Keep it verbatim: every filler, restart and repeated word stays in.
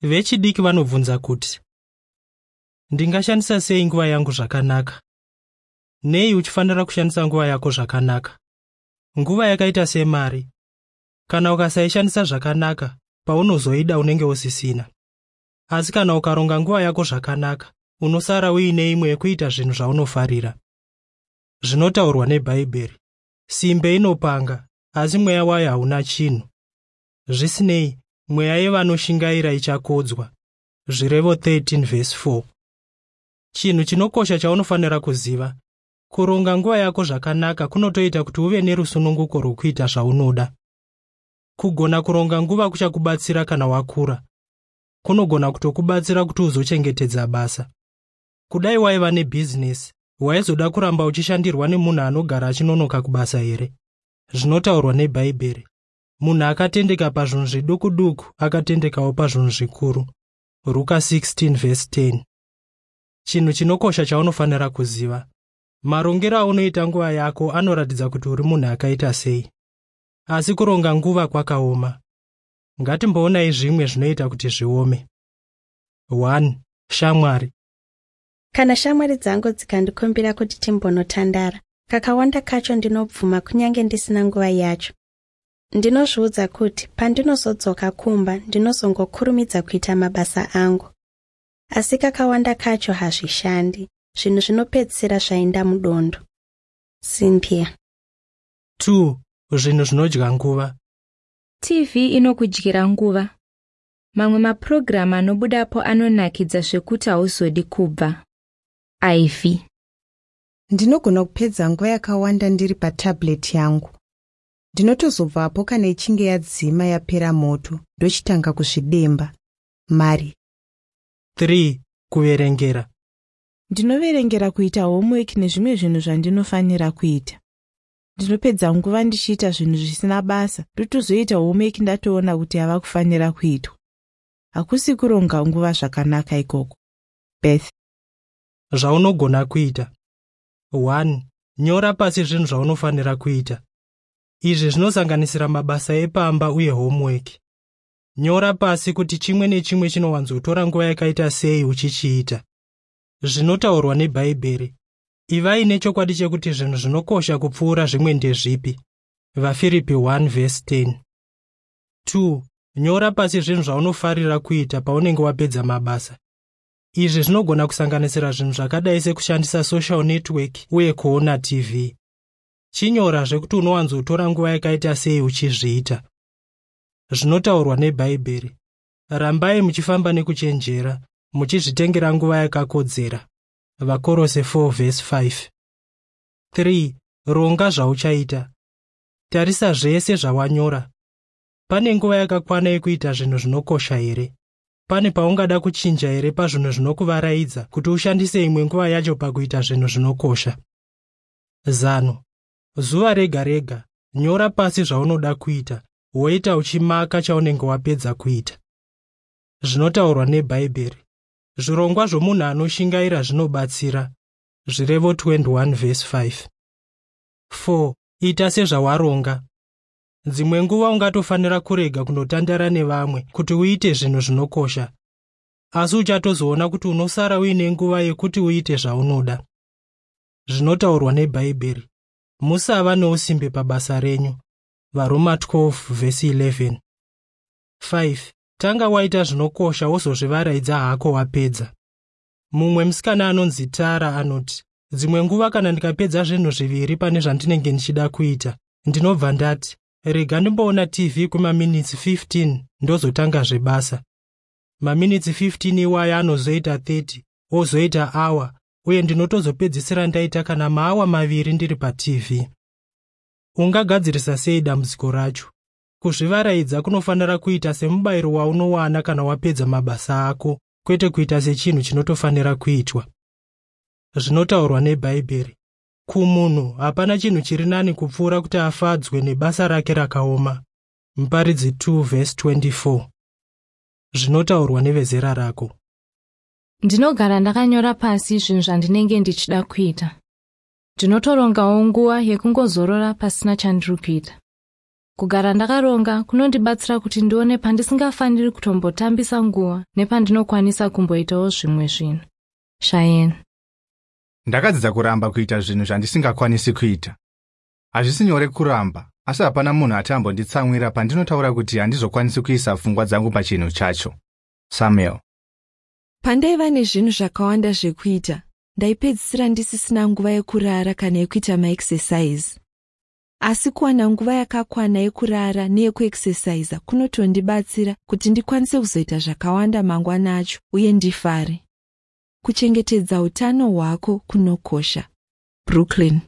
Vechidiki vanobvunza kuti, ndingashandisa sei nguva yangu zvakanaka? Nei uchifanira kushandisa nguva yako zvakanaka? Nguva yakaita semari. Kana ukasaishandisa zvakanaka, paunozoida unenge usisina. Asi kana ukaronga nguva yako zvakanaka, unosara uine imwe yekuita zvinhu zvaunofarira. Zvinotaurwa neBhaibheri. Simbe inopanga, asi mweya wayo hauna chinhu. Zvisinei, mweya yevanoshingaira ichakodzwa. Zvirevo thirteen verse four. Chinhu chinokosha chaunofanira kuziva, kuronga nguva yako zvakanaka kunotoita kuti uve nerusununguko rwokuita zvaunoda. Kugona kuronga nguva kuchakubatsira kana wakura. Kunogona kutokubatsira kuti uzochengetedza basa. Kudai waiva nebhizinesi, waizoda kuramba uchishandirwa nemunhu anogara achinonoka kubasa here? Zvinotaurwa neBhaibheri. Munhu akatendeka pazvinhu zviduku duku akatendekawo pazvinhu zvikuru. Ruka sixteen verse ten. Chinhu chinokosha chaunofanira kuziva. Marongero aunoita nguva yako anoratidza kuti uri munhu akaita sei. Asi kuronga nguva kwakaoma. Ngatimboonai zvimwe zvinoita kuti zviome. one. Shamwari. Kana shamwari dzangu dzikandikumbira kuti timbonotandara, kakawanda kacho ndinobvuma kunyange ndisina nguva yacho. Ndinozviudza kuti pandinozodzoka kumba ndinozongokurumidza kuita mabasa angu. Asi kakawanda kacho hazvishandi, zvinhu zvinopedzisira zvaenda mudondo. Cynthia. two. Zvinhu zvinodya nguva. T V inokudyira nguva. Mamwe mapurogiramu anobudapo anonakidza zvekuti hauzodi kubva. Ivy. Ndinogona kupedza nguva yakawanda ndiri patablet yangu. Ndinotozobvapo kana ichinge yadzima yapera moto, ndochitanga kuzvidemba. Mari. three. Kuverengera. Ndinoverengera kuita homework nezvimwe zvinhu zvandinofanira kuita. Ndinopedza nguva ndichiita zvinhu zvisina basa, ndotozoita homework ndatoona kuti yava kufanira kuitwa. Hakusi kuronga nguva zvakanaka ikoko. Beth. Zvaunogona kuita. one. Nyora pasi zvinhu zvaunofanira kuita. Izvi zvinosanganisira mabasa epamba uye homework. Nyora pasi kuti chimwe nechimwe chinowanzotora nguva yakaita sei uchichiita. Zvinotaurwa neBhaibheri. Ivai nechokwadi chekuti zvinhu zvinokosha kupfuura zvimwe ndezvipi. VaFiripi one verse ten. two. Nyora pasi zvinhu zvaunofarira kuita paunenge wapedza mabasa. Izvi zvinogona kusanganisira zvinhu zvakadai sekushandisa social network uye kuona T V. Chinyora zvekuti unowanzotora nguva yakaita sei uchizviita. Zvinotaurwa neBhaibheri. Rambai muchifamba nekuchenjera, muchizvitengera nguva yakakodzera. Vakorose four verse five. three. Ronga zvauchaita. Tarisa zvese zvawanyora. Pane nguva yakakwana yekuita zvinhu zvinokosha here? Pane paungada kuchinja here pazvinhu zvinokuvaraidza kuti ushandise imwe nguva yacho pakuita zvinhu zvinokosha? Zano. Zuva rega rega, nyora pasi zvaunoda kuita, woita uchimaka chaunenge wapedza kuita. Zvinotaurwa neBhaibheri. Zvirongwa zvomunhu anoshingaira zvinobatsira. Zvirevo twenty-one verse five. four. Ita sezvawaronga. Dzimwe nguva ungatofanira kurega kunotandara nevamwe kuti uite zvinhu zvinokosha. Asi uchatozoona kuti unosara uine nguva yekuti uite zvaunoda. Zvinotaurwa neBhaibheri. Musava neusimbe pabasa renyu. Varoma twelve verse eleven. five. Tanga waita zvinokosha wozozvivaraidza hako wapedza. Mumwe musikana anonzi Tara anoti, dzimwe nguva kana ndikapedza zvinhu zviviri pane zvandinenge ndichida kuita, ndinobva ndati, rega ndimboona T V kwemaminitsi fifteen ndozotanga zvebasa. Maminitsi fifteen iwaya anozoita thirty, ozoita hour, uye ndinotozopedzisira ndaita kana maawa maviri ndiri pa T V. Ungagadzirisa sei dambudziko racho? Kuzvivaraidza kunofanira kuita semubayiro waunowana kana wapedza mabasa ako, kwete kuita sechinhu chinotofanira kuitwa. Zvinotaurwa neBhaibheri. Kumunhu hapana chinhu chiri nani kupfuura kuti afadzwe nebasa rake rakaoma. Muparidzi two verse twenty-four. Zvinotaurwa nevezera rako. Ndinogara ndakanyora pasi zvinhu zvandinenge ndichida kuita. Ndinotorongawo nguva yekungozorora pasina chandiri kuita. Kugara ndakaronga kunondibatsira kuti ndione pandisingafaniri kutombotambisa nguva nepandinokwanisa kumboitawo zvimwe zvinhu. Cheyenne. Ndakadzidza kuramba kuita zvinhu zvandisingakwanisi kuita. Hazvisi nyore kuramba, asi hapana munhu ati ambonditsamwira pandinotaura kuti handizokwanisi kuisa pfungwa dzangu pachinhu chacho. Samuel. Pandaiva nezvinhu zvakawanda zvekuita, ndaipedzisira ndisisina nguva yekurara kana yekuita maexercise. Asi kuwana nguva yakakwana yekurara neyekuexercisa kunotondibatsira kuti ndikwanise kuzoita zvakawanda mangwana acho uye ndifare. Kuchengetedza utano hwako kunokosha. Brooklyn.